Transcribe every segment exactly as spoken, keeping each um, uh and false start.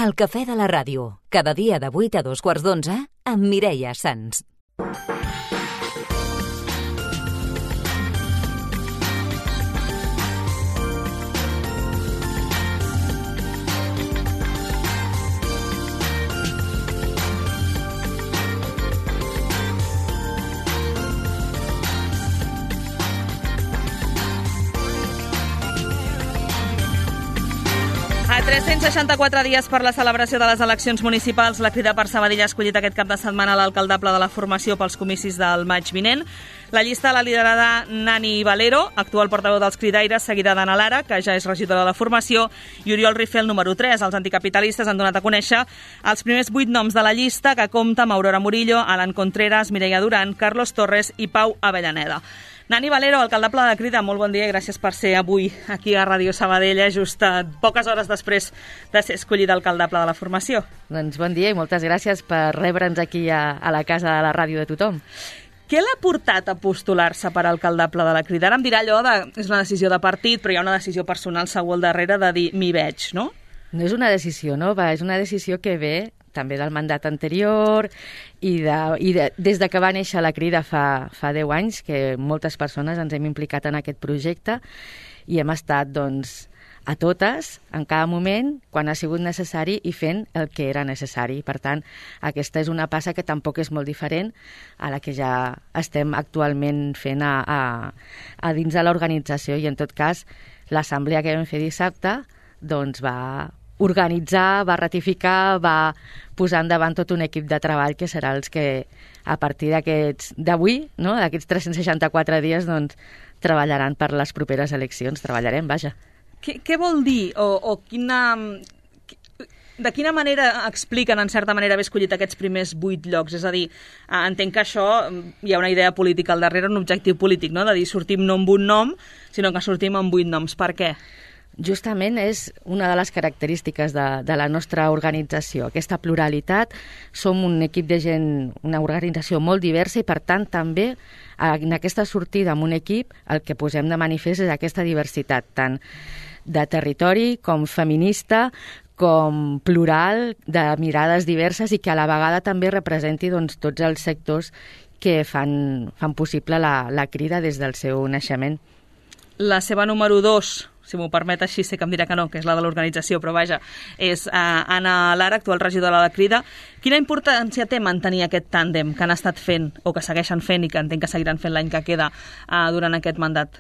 El cafè de la ràdio, cada dia de vuit a dos quarts d'onze, amb Mireia Sans. A tres-cents seixanta-quatre dies per la celebració de les eleccions municipals, la Crida per Sabadell ha escollit aquest cap de setmana l'alcaldable de la formació pels comicis del maig vinent. La llista l'ha liderada Nani Valero, actual portaveu dels Cridaires, seguida d'Anna Lara, que ja és regidora de la formació, i Oriol Rifé, el número tres. Els anticapitalistes han donat a conèixer els primers vuit noms de la llista, que compta amb Aurora Murillo, Alan Contreras, Mireia Duran, Carlos Torres i Pau Avellaneda. Nani Valero, alcaldable de la Crida, molt bon dia i gràcies per ser avui aquí a Ràdio Sabadell, just poques hores després de ser escollida alcaldable de la formació. Doncs bon dia i moltes gràcies per rebre'ns aquí a, a la casa de la ràdio de tothom. Què l'ha portat a postular-se per alcaldable de la Crida? Ara em dirà allò de és una decisió de partit, però hi ha una decisió personal segur al darrere de dir m'hi veig, no? No és una decisió nova, és una decisió que ve també del mandat anterior i, de, i de, des de que va néixer la Crida fa, fa deu anys, que moltes persones ens hem implicat en aquest projecte i hem estat, doncs, a totes, en cada moment, quan ha sigut necessari i fent el que era necessari. Per tant, aquesta és una passa que tampoc és molt diferent a la que ja estem actualment fent a, a, a dins de l'organització i, en tot cas, l'assemblea que vam fer dissabte doncs va organitzar, va ratificar, va posar endavant tot un equip de treball que serà els que a partir d'aquests d'avui, no, d'aquests tres-cents seixanta-quatre dies, doncs, treballaran per les properes eleccions. Treballarem, vaja. Què, què vol dir o, o quina... De quina manera expliquen, en certa manera, haver escollit aquests primers vuit llocs? És a dir, entenc que això hi ha una idea política al darrere, un objectiu polític, no? De dir sortim no amb un nom, sinó que sortim amb vuit noms. Per què? Justament és una de les característiques de, de la nostra organització, aquesta pluralitat. Som un equip de gent, una organització molt diversa i, per tant, també en aquesta sortida amb un equip el que posem de manifest és aquesta diversitat, tant de territori com feminista, com plural, de mirades diverses i que a la vegada també representi, doncs, tots els sectors que fan, fan possible la, la Crida des del seu naixement. La seva número dos, si m'ho permet així, sé que em dirà que no, que és la de l'organització, però vaja, és uh, Anna Lara, actual regidora de la Crida. Quina importància té mantenir aquest tàndem que han estat fent, o que segueixen fent i que entenc que seguiran fent l'any que queda uh, durant aquest mandat?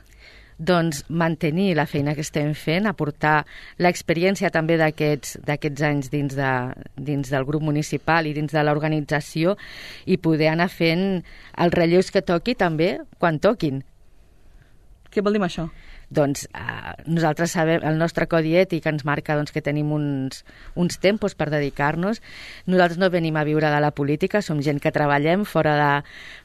Doncs mantenir la feina que estem fent, aportar l'experiència també d'aquests d'aquests anys dins, de, dins del grup municipal i dins de l'organització i poder anar fent els relleus que toqui també quan toquin. Què vol dir això? Doncs eh, nosaltres sabem, el nostre codi ètic ens marca doncs, que tenim uns, uns tempos per dedicar-nos. Nosaltres no venim a viure de la política, som gent que treballem fora de,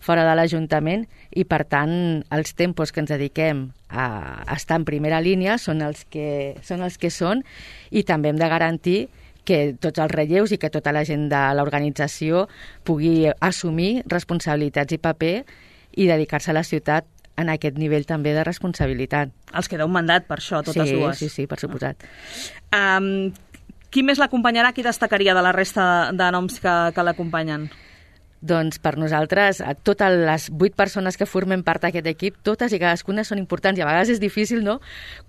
fora de l'Ajuntament i, per tant, els tempos que ens dediquem a estar en primera línia són els que són, els que són i també hem de garantir que tots els relleus i que tota la gent de l'organització pugui assumir responsabilitats i paper i dedicar-se a la ciutat en aquest nivell també de responsabilitat. Els queda un mandat per això, totes sí, dues. Sí, sí, per suposat. Um, qui més l'acompanyarà? Qui destacaria de la resta de noms que, que l'acompanyen? Doncs per nosaltres, totes les vuit persones que formen part d'aquest equip, totes i cadascuna són importants i a vegades és difícil, no?,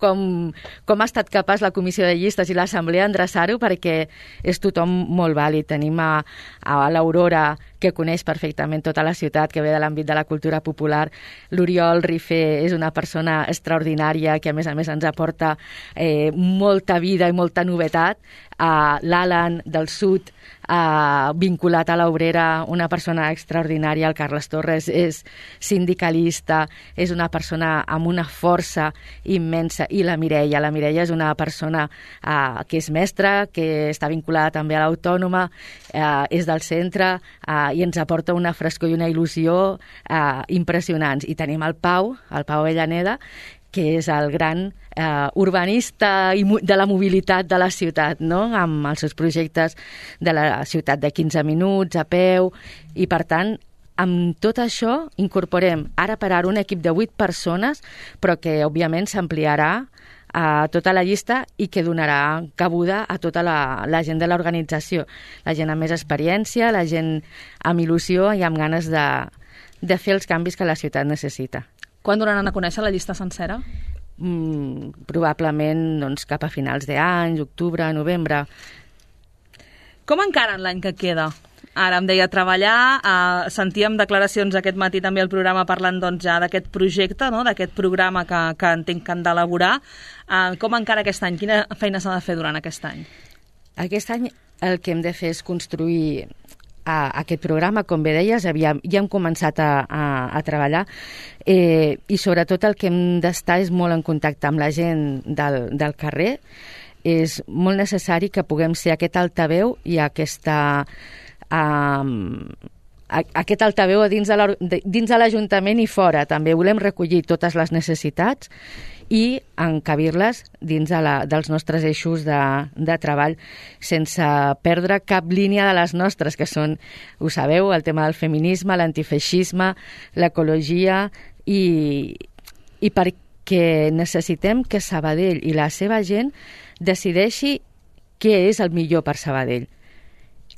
com, com ha estat capaç la comissió de llistes i l'assemblea endreçar-ho perquè és tothom molt vàlid. Tenim a, a l'Aurora, que coneix perfectament tota la ciutat, que ve de l'àmbit de la cultura popular. L'Oriol Rifé és una persona extraordinària que a més a més ens aporta eh, molta vida i molta novetat. Uh, L'Alan del Sud, uh, vinculat a l'Obrera, una persona extraordinària. El Carles Torres és sindicalista, és una persona amb una força immensa. I la Mireia, la Mireia és una persona uh, que és mestra, que està vinculada també a l'Autònoma, uh, és del centre, uh, i ens aporta una frescor i una il·lusió uh, impressionants. I tenim el Pau, el Pau Avellaneda, que és el gran eh, urbanista de la mobilitat de la ciutat, no?, amb els seus projectes de la ciutat de quinze minuts, a peu, i per tant, amb tot això incorporem ara per ara un equip de vuit persones, però que òbviament s'ampliarà a tota la llista i que donarà cabuda a tota la, la gent de l'organització, la gent amb més experiència, la gent amb il·lusió i amb ganes de, de fer els canvis que la ciutat necessita. Quan donaran a conèixer la llista sencera? Mm, probablement doncs, cap a finals d'any, octubre, novembre. Com encaren l'any que queda? Ara em deia treballar, eh, sentíem declaracions aquest matí també al programa parlant doncs, ja d'aquest projecte, no? D'aquest programa que, que entenc que han d'elaborar. Eh, com encara aquest any? Quina feina s'ha de fer durant aquest any? Aquest any el que hem de fer és construir a aquest programa, com bé deies, ja, ja hem començat a, a, a treballar eh, i sobretot el que hem d'estar és molt en contacte amb la gent del, del carrer. És molt necessari que puguem ser aquest altaveu i aquesta, um, aquest altaveu dins de l'Ajuntament i fora. També volem recollir totes les necessitats i encabir-les dins de la, dels nostres eixos de, de treball sense perdre cap línia de les nostres, que són, ho sabeu, el tema del feminisme, l'antifeixisme, l'ecologia i, i perquè necessitem que Sabadell i la seva gent decideixi què és el millor per Sabadell.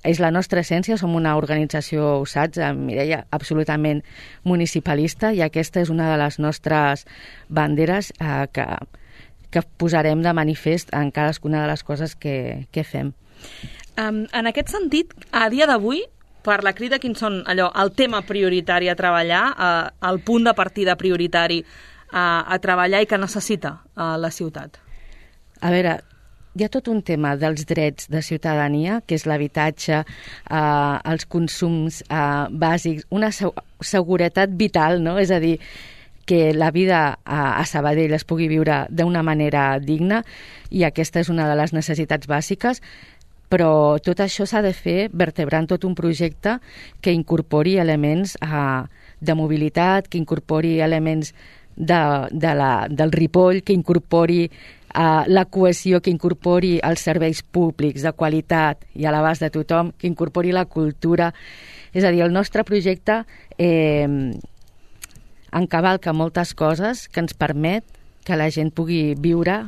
És la nostra essència, som una organització, ho saps, Mireia, absolutament municipalista, i aquesta és una de les nostres banderes eh, que, que posarem de manifest en cadascuna de les coses que, que fem. Um, en aquest sentit, a dia d'avui, per la crida, quins són allò, el tema prioritari a treballar, eh, el punt de partida prioritari eh, a treballar i que necessita eh, la ciutat? A veure, hi ha tot un tema dels drets de ciutadania, que és l'habitatge, eh, els consums eh, bàsics, una seguretat vital, no? És a dir, que la vida a, a Sabadell es pugui viure d'una manera digna, i aquesta és una de les necessitats bàsiques, però tot això s'ha de fer vertebrant tot un projecte que incorpori elements eh, de mobilitat, que incorpori elements de, de la, del Ripoll, que incorpori Uh, la cohesió, que incorpori els serveis públics de qualitat i a l'abast de tothom, que incorpori la cultura. És a dir, el nostre projecte eh, encavalca moltes coses que ens permet que la gent pugui viure,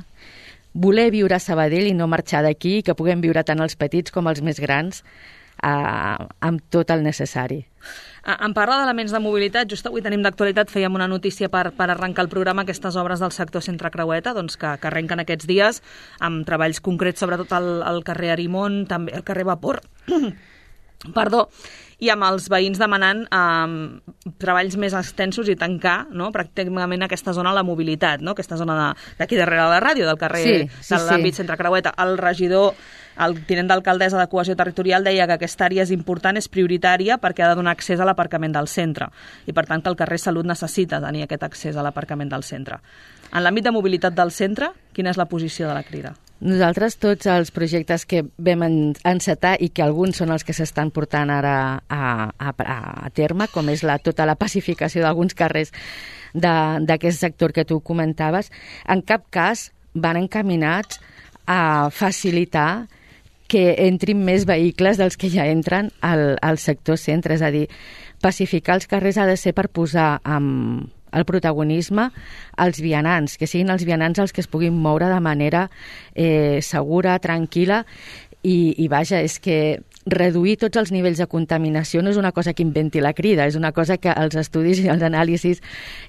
voler viure a Sabadell i no marxar d'aquí, que puguem viure tant els petits com els més grans eh, amb tot el necessari. Em parla d'elements de mobilitat. Just avui tenim d'actualitat, fèiem una notícia per, per arrencar el programa, aquestes obres del sector Centre Creueta, doncs que, que arrenquen aquests dies, amb treballs concrets, sobretot al, al carrer Arimon, també al carrer Vapor, perdó, i amb els veïns demanant eh, treballs més extensos i tancar, no?, pràcticament aquesta zona de la mobilitat, no?, aquesta zona d'aquí darrere de la ràdio, del carrer, sí, sí, de l'àmbit sí. Centre Creueta. El regidor, el tinent d'alcaldessa de Cohesió Territorial, deia que aquesta àrea és important, és prioritària, perquè ha de donar accés a l'aparcament del centre, i per tant que el carrer Salut necessita tenir aquest accés a l'aparcament del centre. En l'àmbit de mobilitat del centre, quina és la posició de la crida? Nosaltres, tots els projectes que vam encetar i que alguns són els que s'estan portant ara a, a, a terme, com és la, tota la pacificació d'alguns carrers d'aquest sector que tu comentaves, en cap cas van encaminats a facilitar que entrin més vehicles dels que ja entren al, al sector centre. És a dir, pacificar els carrers ha de ser per posar amb el protagonisme als vianants, que siguin els vianants els que es puguin moure de manera eh, segura, tranquil·la, i, i vaja, és que reduir tots els nivells de contaminació no és una cosa que inventi la crida, és una cosa que els estudis i els anàlisis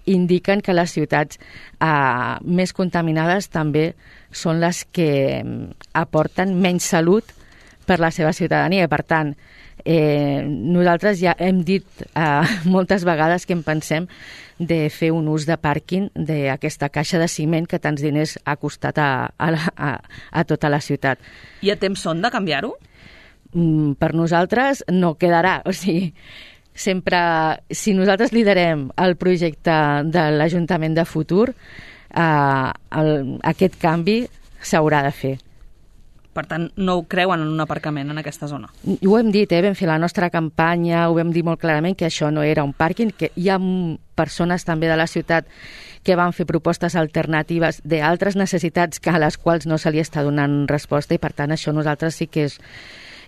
indiquen que les ciutats eh, més contaminades també són les que aporten menys salut per la seva ciutadania. I, per tant, eh, nosaltres ja hem dit eh, moltes vegades que en pensem de fer un ús de pàrquing d'aquesta caixa de ciment que tants diners ha costat a, a, a, a tota la ciutat. I a temps són de canviar-ho? Mm, per nosaltres no quedarà. O sigui, sempre, si nosaltres liderem el projecte de l'Ajuntament de futur, eh, el, aquest canvi s'haurà de fer. Per tant, no ho creuen en un aparcament en aquesta zona? Ho hem dit, eh? Vam fer la nostra campanya, ho vam dir molt clarament que això no era un pàrquing, que hi ha persones també de la ciutat que van fer propostes alternatives d'altres necessitats que a les quals no se li està donant resposta, i per tant això nosaltres sí que és,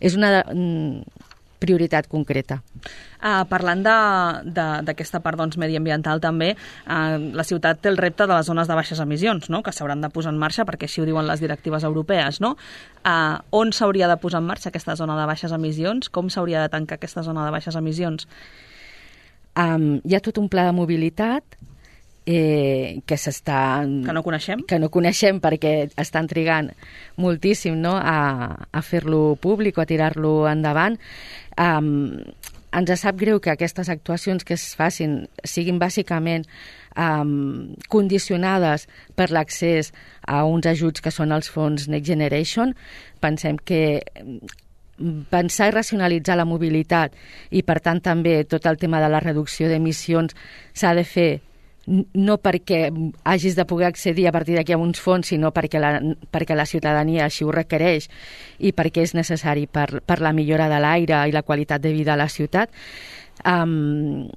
és una, prioritat concreta. Uh, parlant d'aquesta part doncs, mediambiental també, uh, la ciutat té el repte de les zones de baixes emissions, no? Que s'hauran de posar en marxa, perquè així ho diuen les directives europees. No? Uh, on s'hauria de posar en marxa aquesta zona de baixes emissions? Com s'hauria de tancar aquesta zona de baixes emissions? Um, hi ha tot un pla de mobilitat eh, que s'està... Que no coneixem? Que no coneixem perquè estan trigant moltíssim, no? a, a fer-lo públic o a tirar-lo endavant. Um, ens sap greu que aquestes actuacions que es facin siguin bàsicament um, condicionades per l'accés a uns ajuts que són els fons Next Generation. Pensem que pensar i racionalitzar la mobilitat i, per tant, també tot el tema de la reducció d'emissions s'ha de fer no perquè hagis de poder accedir a partir d'aquí a uns fons, sinó perquè la, perquè la ciutadania així ho requereix i perquè és necessari per, per la millora de l'aire i la qualitat de vida a la ciutat. Um,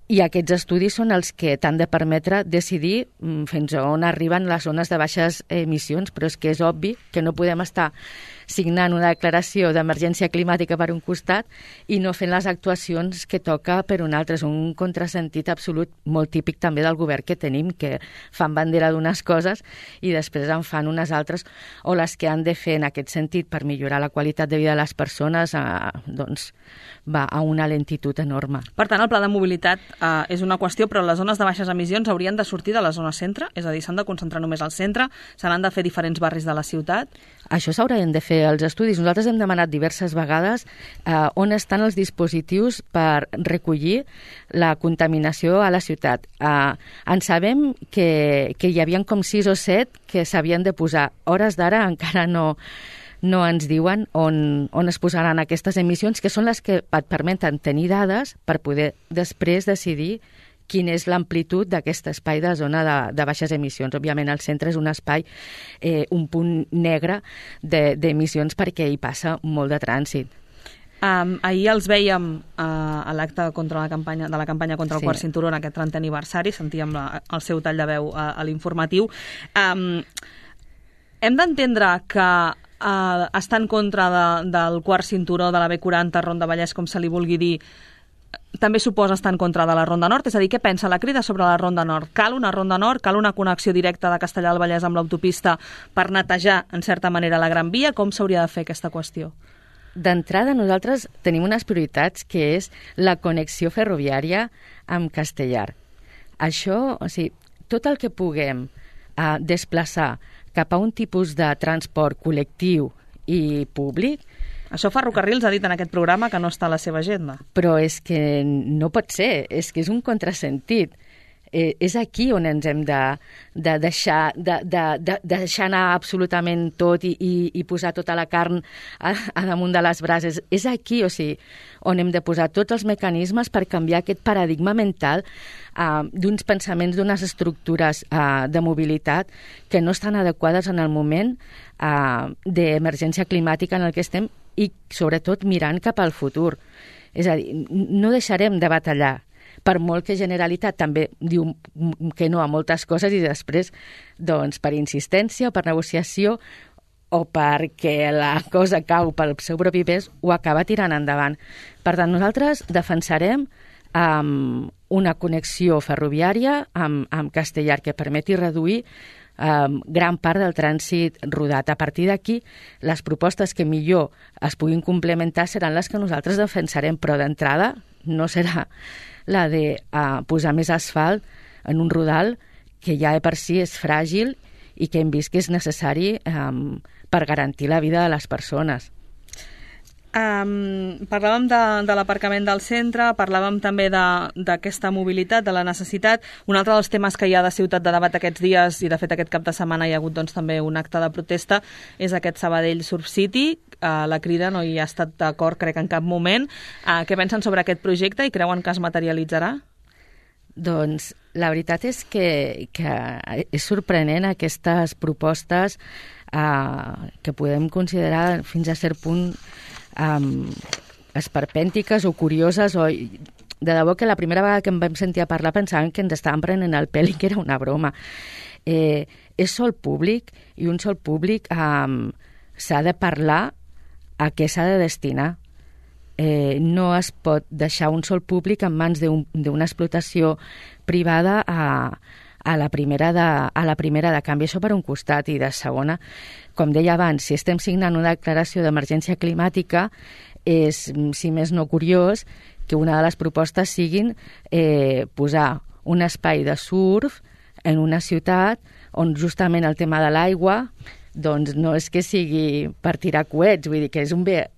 I aquests estudis són els que t'han de permetre decidir fins a on arriben les zones de baixes emissions, però és que és obvi que no podem estar signant una declaració d'emergència climàtica per un costat i no fent les actuacions que toca per un altre. És un contrasentit absolut, molt típic també del govern que tenim, que fan bandera d'unes coses i després en fan unes altres, o les que han de fer en aquest sentit per millorar la qualitat de vida de les persones, eh, doncs va a una lentitud enorme. Per tant, el pla de mobilitat eh, és una qüestió, però les zones de baixes emissions haurien de sortir de la zona centre? És a dir, s'han de concentrar només al centre? Se n'han de fer diferents barris de la ciutat? Això s'haurien de fer els estudis. Nosaltres hem demanat diverses vegades eh, on estan els dispositius per recollir la contaminació a la ciutat. Eh, en sabem que, que hi havia com sis o set que s'havien de posar. Hores d'ara encara no, no ens diuen on, on es posaran aquestes emissions, que són les que et permeten tenir dades per poder després decidir quina és l'amplitud d'aquest espai de zona de, de baixes emissions. Òbviament, el centre és un espai, eh, un punt negre d'emissions de, perquè hi passa molt de trànsit. Um, ahir els vèiem uh, a l'acte contra la campanya, de la campanya contra el sí. quart cinturó en aquest trentè aniversari, sentíem la, el seu tall de veu a, a l'informatiu. Um, hem d'entendre que uh, està en contra de, del quart cinturó de la B quaranta, Ronda Vallès, com se li vulgui dir, també suposa estar en contra de la Ronda Nord? És a dir, què pensa la Crida sobre la Ronda Nord? Cal una Ronda Nord? Cal una connexió directa de Castellar del Vallès amb l'autopista per netejar, en certa manera, la Gran Via? Com s'hauria de fer aquesta qüestió? D'entrada, nosaltres tenim unes prioritats, que és la connexió ferroviària amb Castellar. Això, o sigui, tot el que puguem eh, desplaçar cap a un tipus de transport col·lectiu i públic. Això Ferrocarrils ha dit en aquest programa que no està a la seva agenda. Però és que no pot ser, és que és un contrasentit. Eh, és aquí on ens hem de, de, deixar, de, de, de, de deixar anar absolutament tot i, i, i posar tota la carn a, a damunt de les brases. És aquí, o sigui, on hem de posar tots els mecanismes per canviar aquest paradigma mental eh, d'uns pensaments, d'unes estructures eh, de mobilitat que no estan adequades en el moment eh, d'emergència climàtica en el que estem i, sobretot, mirant cap al futur. És a dir, no deixarem de batallar, per molt que Generalitat també diu que no a moltes coses i després, doncs, per insistència o per negociació o perquè la cosa cau pel seu propi pes, ho acaba tirant endavant. Per tant, nosaltres defensarem um, una connexió ferroviària amb, amb Castellar que permeti reduir Um, gran part del trànsit rodat. A partir d'aquí, les propostes que millor es puguin complementar seran les que nosaltres defensarem, però d'entrada no serà la de uh, posar més asfalt en un rodal que ja de per si és fràgil i que hem vist que és necessari um, per garantir la vida de les persones. Um, parlàvem de, de l'aparcament del centre, parlàvem també d'aquesta mobilitat, de la necessitat. Un altre dels temes que hi ha de ciutat de debat aquests dies, i de fet aquest cap de setmana hi ha hagut doncs, també un acte de protesta, és aquest Sabadell Surf City. Uh, la Crida no hi ha estat d'acord, crec, en cap moment. Uh, què pensen sobre aquest projecte i creuen que es materialitzarà? Doncs la veritat és que, que és sorprenent aquestes propostes uh, que podem considerar fins a cert punt Um, esperpèntiques o curioses, o de debò que la primera vegada que em vam sentir a parlar pensàvem que ens estaven prenent el pèl i que era una broma. Eh, és sol públic i un sol públic um, s'ha de parlar a què s'ha de destinar. eh, no es pot deixar un sol públic en mans d'una explotació privada a, a, la primera de, a la primera de canvi. Això per un costat. I de segona, com deia abans, si estem signant una declaració d'emergència climàtica, és, si més no curiós, que una de les propostes siguin eh, posar un espai de surf en una ciutat on justament el tema de l'aigua doncs no és que sigui per tirar coets, vull dir que és un bé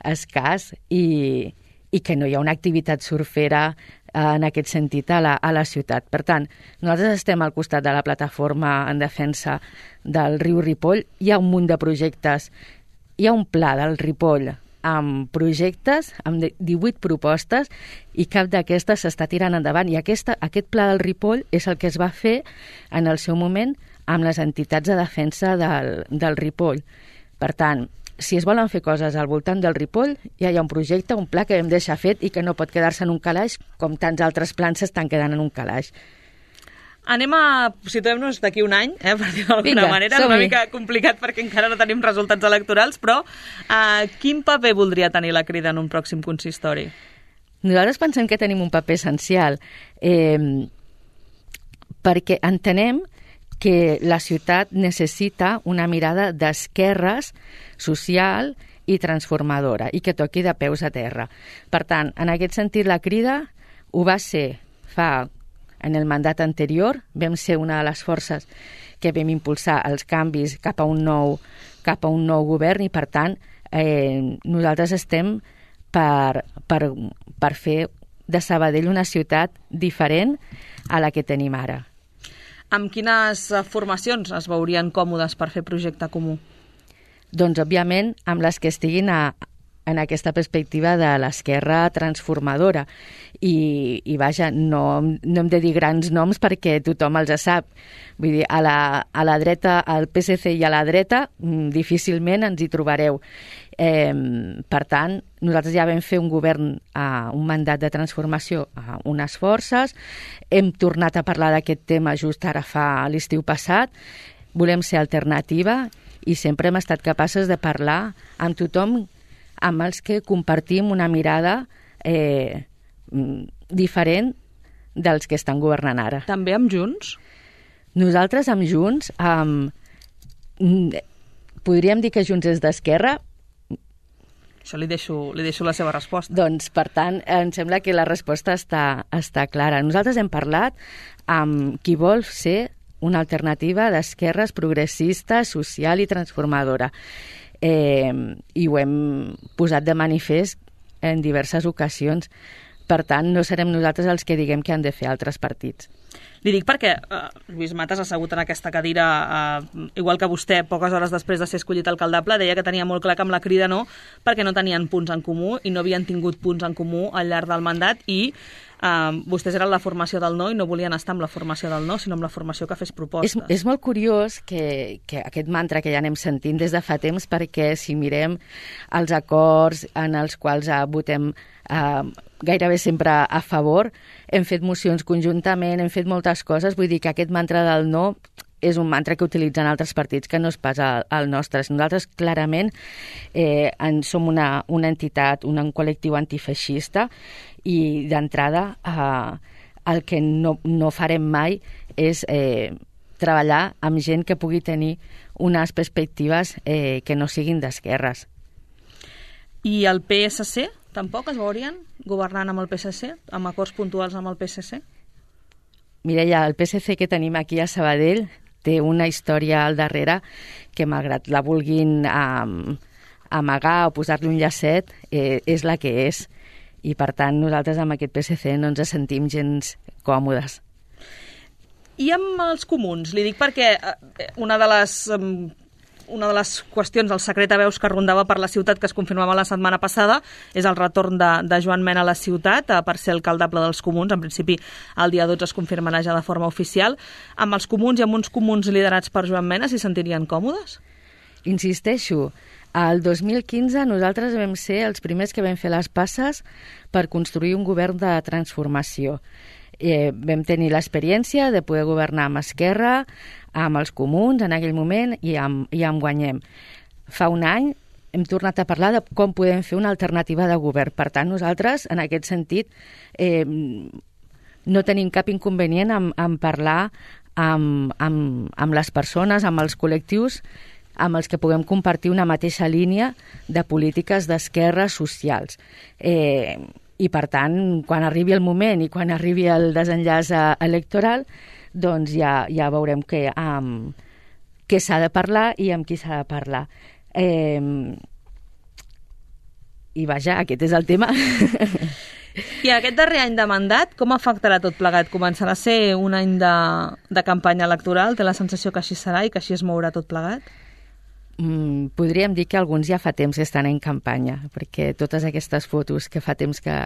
escàs i, i que no hi ha una activitat surfera en aquest sentit a la, a la ciutat. Per tant, nosaltres estem al costat de la plataforma en defensa del riu Ripoll. Hi ha un munt de projectes, hi ha un pla del Ripoll amb projectes, amb divuit propostes, i cap d'aquestes s'està tirant endavant. I aquesta, aquest pla del Ripoll és el que es va fer en el seu moment amb les entitats de defensa del, del Ripoll. Per tant, si es volen fer coses al voltant del Ripoll, ja hi ha un projecte, un pla que hem deixat fet i que no pot quedar-se en un calaix, com tants altres plans s'estan quedant en un calaix. Anem a... Situem-nos d'aquí un any, eh, per dir d'alguna manera. És una mica complicat perquè encara no tenim resultats electorals, però eh, quin paper voldria tenir la Crida en un pròxim consistori? Nosaltres pensem que tenim un paper essencial, eh, perquè entenem que la ciutat necessita una mirada d'esquerres social i transformadora i que toqui de peus a terra. Per tant, en aquest sentit, la Crida ho va ser fa... En el mandat anterior vam ser una de les forces que vam impulsar els canvis cap a un nou, cap a un nou govern i, per tant, eh, nosaltres estem per, per, per fer de Sabadell una ciutat diferent a la que tenim ara. Amb quines formacions es veurien còmodes per fer projecte comú? Doncs, òbviament, amb les que estiguin a, en aquesta perspectiva de l'esquerra transformadora. I, i vaja, no, no hem de dir grans noms perquè tothom els sap. Vull dir, a la, a la dreta, al P S C i a la dreta, difícilment ens hi trobareu. Eh, per tant, nosaltres ja vam fer un govern, a un mandat de transformació a unes forces, hem tornat a parlar d'aquest tema just ara fa l'estiu passat, volem ser alternativa i sempre hem estat capaces de parlar amb tothom amb els que compartim una mirada eh, diferent dels que estan governant ara. També amb Junts? Nosaltres amb Junts, amb... podríem dir que Junts és d'esquerra? Això li deixo, li deixo la seva resposta. Doncs, per tant, em sembla que la resposta està, està clara. Nosaltres hem parlat amb qui vol ser una alternativa d'esquerres progressista, social i transformadora. Eh, i ho hem posat de manifest en diverses ocasions. Per tant, no serem nosaltres els que diguem que han de fer altres partits. Li dic perquè eh, Lluís Matas ha assegut en aquesta cadira, eh, igual que vostè, poques hores després de ser escollit alcaldable, deia que tenia molt clar que amb la Crida no, perquè no tenien punts en comú i no havien tingut punts en comú al llarg del mandat i Uh, vostès eren la formació del no i no volien estar amb la formació del no, sinó amb la formació que fes propostes. És, és molt curiós que, que aquest mantra que ja anem sentint des de fa temps, perquè si mirem els acords en els quals uh, votem uh, gairebé sempre a favor, hem fet mocions conjuntament, hem fet moltes coses, vull dir que aquest mantra del no és un mantra que utilitzen altres partits que no és pas el, el nostre. Nosaltres clarament eh, en som una, una entitat, un, un col·lectiu antifeixista i d'entrada eh, el que no, no farem mai és eh, treballar amb gent que pugui tenir unes perspectives eh, que no siguin d'esquerres. I el P S C tampoc es veurien governant amb el P S C, amb acords puntuals amb el P S C? Mireia, el P S C que tenim aquí a Sabadell té una història al darrere que, malgrat la vulguin um, amagar o posar-li un llacet, eh, és la que és. I, per tant, nosaltres amb aquest P S C no ens sentim gens còmodes. I amb els comuns? Li dic perquè una de les... Um, una de les qüestions, el secret a veus que rondava per la ciutat, que es confirmava la setmana passada, és el retorn de, de Joan Mena a la ciutat per ser alcaldable dels comuns. En principi, el dia dotze es confirmarà ja de forma oficial. Amb els comuns i amb uns comuns liderats per Joan Mena, s'hi sentirien còmodes? Insisteixo, el dos mil quinze nosaltres vam ser els primers que vam fer les passes per construir un govern de transformació. Eh, vam tenir l'experiència de poder governar amb Esquerra, amb els comuns en aquell moment i amb, i amb Guanyem. Fa un any hem tornat a parlar de com podem fer una alternativa de govern. Per tant, nosaltres, en aquest sentit, eh, no tenim cap inconvenient en, en parlar amb, amb, amb les persones, amb els col·lectius, amb els que puguem compartir una mateixa línia de polítiques d'esquerra socials. Eh, I, per tant, quan arribi el moment i quan arribi el desenllaç electoral, doncs ja, ja veurem què, um, què s'ha de parlar i amb qui s'ha de parlar. Eh, I vaja, aquest és el tema. I aquest darrer any de mandat, com afectarà tot plegat? Començarà a ser un any de, de campanya electoral? Té la sensació que així serà i que així es mourà tot plegat? Mm, podríem dir que alguns ja fa temps que estan en campanya, perquè totes aquestes fotos que fa temps que,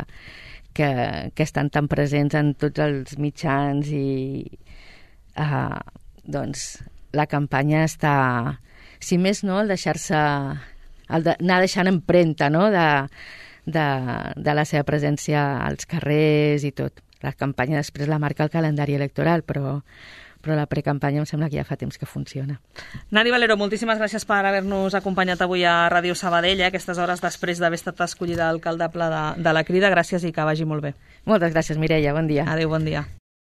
que, que estan tan presents en tots els mitjans i uh, doncs la campanya està... Si més no, el deixar-se, el de, anar deixant empremta, no?, de, de, de la seva presència als carrers i tot. La campanya després la marca el calendari electoral, però, però la precampanya em sembla que ja fa temps que funciona. Nari Valero, moltíssimes gràcies per haver-nos acompanyat avui a Ràdio Sabadell, eh, aquestes hores després d'haver estat escollida alcaldable de, de la Crida. Gràcies i que vagi molt bé. Moltes gràcies, Mireia. Bon dia. Adéu, bon dia.